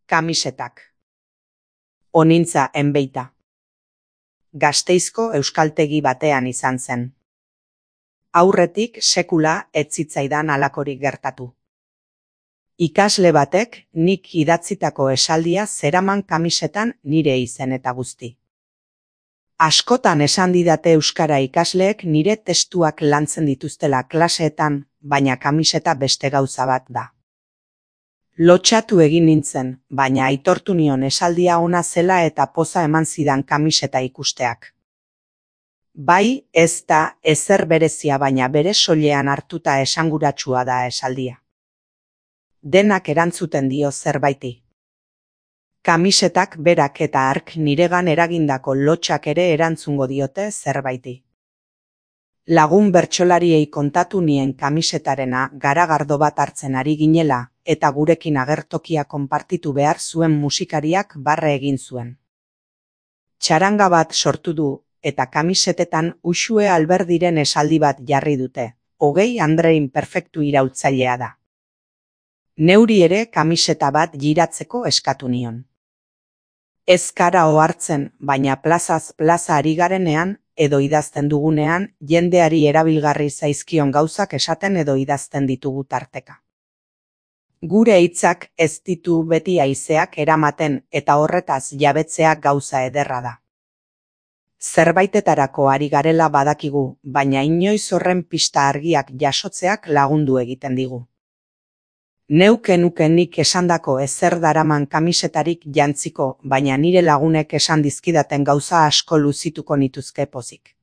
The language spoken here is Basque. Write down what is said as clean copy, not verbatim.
Kamisetak. Onintza enbeita. Gasteizko euskaltegi batean izan zen. Aurretik sekula ez zitzaidan halakorik gertatu. Ikasle batek nik idatzitako esaldia zeraman kamisetan nire izen eta guzti. Askotan esan didate euskara ikasleek nire testuak lantzen dituztela klaseetan, baina kamiseta beste gauza bat da. Lotxatu egin nintzen, baina aitortu nion esaldia ona zela eta poza eman zidan kamiseta ikusteak. Bai, ez da ezer berezia, baina bere soilean hartuta esanguratsua da esaldia. Denak erantzuten dio zerbaiti. Kamisetak berak eta hark niregan eragindako lotxak ere erantzungo diote zerbaiti. Lagun bertsolariei kontatu nien kamisetarena garagardo bat hartzen ari ginela, eta gurekin agertokia konpartitu behar zuen musikariak barre egin zuen. Txaranga bat sortu du, eta kamisetetan Uxue Alberdiren esaldi bat jarri dute, 20 Andrein perfektu iraultzailea da. Neuri ere kamiseta bat giratzeko eskatu nion. Ez kara ohartzen, baina plazaz plaza ari garenean, edo idazten dugunean, jendeari erabilgarri zaizkion gauzak esaten edo idazten ditugu tarteka. Gure hitzak ez ditu beti haizeak eramaten eta horretaz jabetzea gauza ederra da. Zerbaitetarako ari garela badakigu, baina inoiz horren pista argiak jasotzeak lagundu egiten digu. Neuke nik esandako ezer daraman kamisetarik jantziko, baina nire lagunek esan dizkidaten gauza asko luzituko nituzke pozik.